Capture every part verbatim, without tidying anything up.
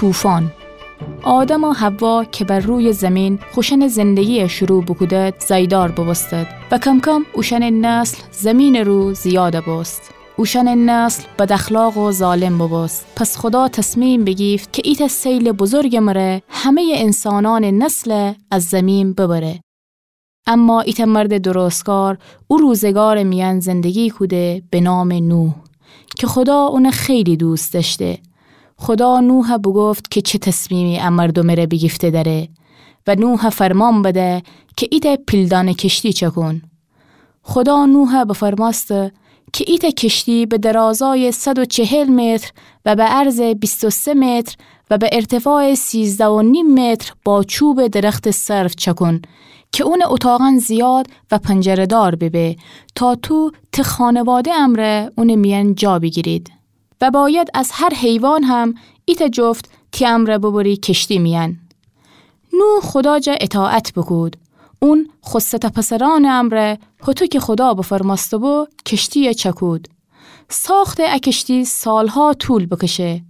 طوفان. آدم و حوا که بر روی زمین خوشأنٚ زندگی شروع بوکودد، زاییدار بوبوستد و کم‌کم اوشأنٚ نسل زمینٚ رو زیاد بوست. اوشأنٚ نسل بداخلاق و ظالم بوبوست. پس خودا تصمیم بیگیفت که ایتأ سیلٚ بزرگٚ مره همه‌یٚ انسانأنٚ نسل از زمین ببره. اما ایتأ مردٚ درستکار او روزگارٚ میأن زندگی کوده به نامٚ نوح که خودا اون خیلی دوست دأشته. خودا نوح بوگفت که چه تصمیمی ا مردومٚ ره بیگیفته دأره و نوح فرمان بده که ایتأ پیلدانه کشتی چکون. خودا نوح بفرمأسته که ایتأ کشتی به درازایٚ صد و چهل متر و به عرضٚ بیست و سه متر و به ارتفاعٚ سیزده و نیم متر با چوبٚ درختٚ سرو چکون که اونٚ اتاقأن زیاد و پنجره‌دار ببه، تا تو تی خانواده امرأ اونٚ میأن جا بیگیرید. و باید از هر حیوان هم ایتأ جفت تی امرأ ببری کشتی میأن. نوح خودا جا اطاعت بوکود. اون خو سه تا پسرأنٚ امرأ، هوطو که خودا بفرمأسته‌بو، کشتی‌یه چکود. ساختٚ ا کشتی سالها طول بکشه،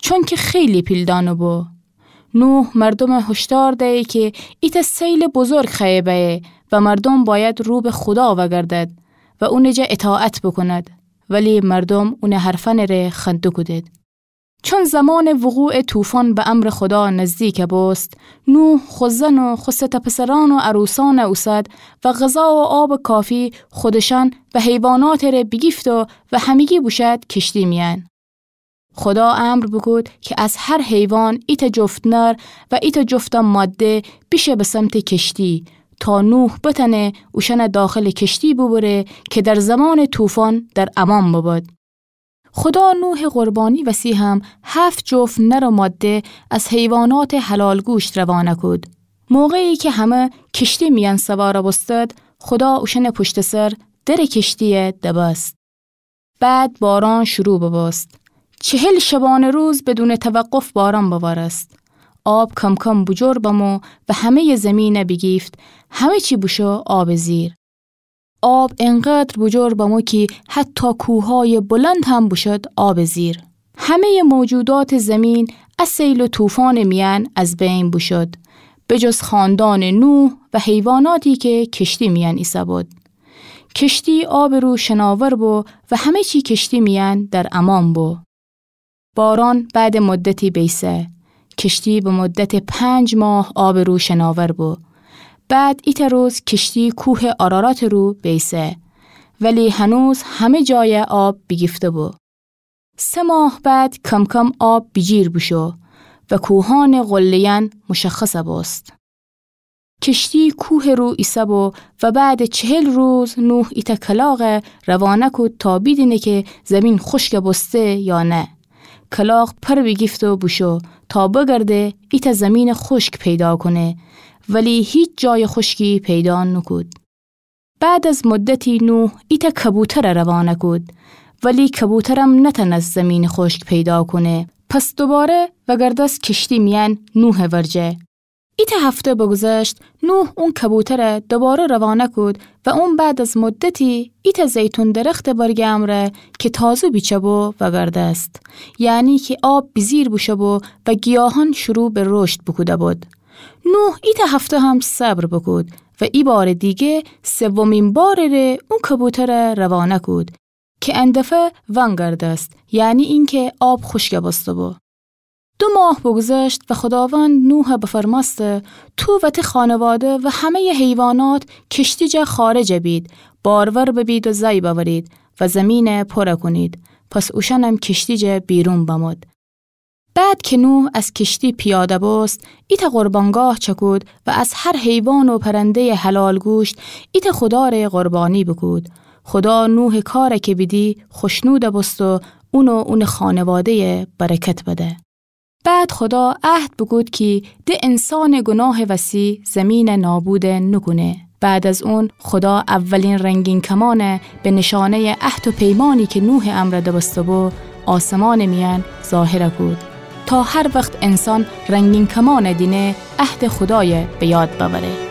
چونکه خیلی پیلدانه بو. نوح مردومٚ هشدار دیی که ایتأ سیلٚ بزرگ خوأیه بأیه و مردوم باید رو به خودا وأگردد و اونٚ جا اطاعت بوکوند. ولی مردوم اونٚ حرفأنٚ ره خنده کودید. چون زمانٚ وقوعٚ طوفان به امرٚ خودا نزدیک بوست، نوح خو زن و خو سه تا پسرأن و عروسأن اوسد و غذا و آبٚ کافی خودشأن و حیواناتٚ ره بیگیفت و همگی بوشد کشتی میأن. خودا امر بوکود که از هر حیوان ایتأ جفت نر و ایتأ جفت ماده بیشه به سمتٚ کشتی، تا نوح بتأنه اوشأن داخلٚ کشتی ببره که در زمانٚ طوفان در امان ببد. خودا نوحٚ قربانی وسی هم هفت جفت نر و ماده از حیواناتٚ حلال گوشت روانه کود. موقعی که همه کشتی میأن سوار بوستد، خودا اوشأنٚ پشتٚ سر درٚ کشتی‌یه دبست. بعد باران شروع ببوست. چهل شبانه روز بدونٚ توقف باران بوارست. آب کم‌کم بوجور بمو و همه‌یٚ زمینه بیگیفت، همه چی بوشو آبٚ زیر. آب انقدر بوجور بمو کی حتی کوه‌هایٚ بلند هم بوشد آبٚ زیر. همه‌یٚ موجوداتٚ زمین ا سیل و طوفانٚ میأن از بین بوشد، به جز خاندانٚ نوح و حیواناتی که کشتی میأن ایسه‌بود. کشتی آبٚ رو شناور بو و همه چی کشتی میأن در امان بو. باران بعدٚ مدتی بیسه. کشتی به مدتٚ پنج ماه آبٚ رو شناور بو. بعد ایتأ روز کشتی کوهٚ آراراتٚ رو بیسه. ولی هنوز همه جای آب بیگیفته بو. سه ماه بعد کم‌کم آب بیجیر بوشو و کوهانٚ قله‌یأن مشخص بوست. کشتی کوهٚ رو ایسه‌بو و بعدٚ چهل روز نوح ایتأ کلاغ روانه کود تا بیدینه که زمین خشک بوسته یا نه. کلاغ پر بیگیفت و بوشو تا بگرده ایتأ زمینٚ خشک پیدا کونه، ولی هیچ جایٚ خشکی پیدا نوکود. بعد از مدتی نوح ایتأ کبوتر روانه کود، ولی کبوترم نتأنست زمینٚ خشک پیدا کونه. پس دوباره وگردست کشتی میأن نوحٚ ورجه. ایتأ هفته بگذشت، نوح اون کبوتر دوباره روانه کود و اون بعد از مدتی ایتأ زیتون درختٚ برگٚ امرأ که تازه بیچه بو وگردست. یعنی که آب بیجیر بوشو بو و گیاهان شروع به رشد بوکوده بود. نوح ایتأ هفته هم صبر بوکود و ای بارٚ دیگه سومین بارٚ ره اون کبوتر روانه کود که ان دفعه ونگردست، یعنی اینکه آب خشک بوسته بو. دو ماه بگذشت و خوداوند نوح بفرمأسته: تو و تی خانواده و همه‌یٚ حیوانات کشتی جا خارج بید، بارور ببید و زای بأورید و زمین پر کونید. پس اوشأنم کشتی جا بیرون بمود. بعد که نوح از کشتی پیاده بوست، ایتأ قربانگاه چکود و از هر حیوان و پرنده‌یٚ حلال گوشت ایتأ خودا ره قربانی بوکود. خودا نوحٚ کار که بیدی خوشنود بوست و اون و اونٚ خانواده‌یه برکت بده. بعد خودا عهد بوکود کی د انسانٚ گناهٚ وسی زمین نابود نوکونه. بعد از اون خودا اولین رنگین کمان به نشانه‌یٚ عهد و پیمانی که نوحٚ امرأ دبسته بو آسمانٚ میأن ظاهر کود، تا هر وخت انسان رنگین کمان دینه عهدٚ خودای به یاد بأوره.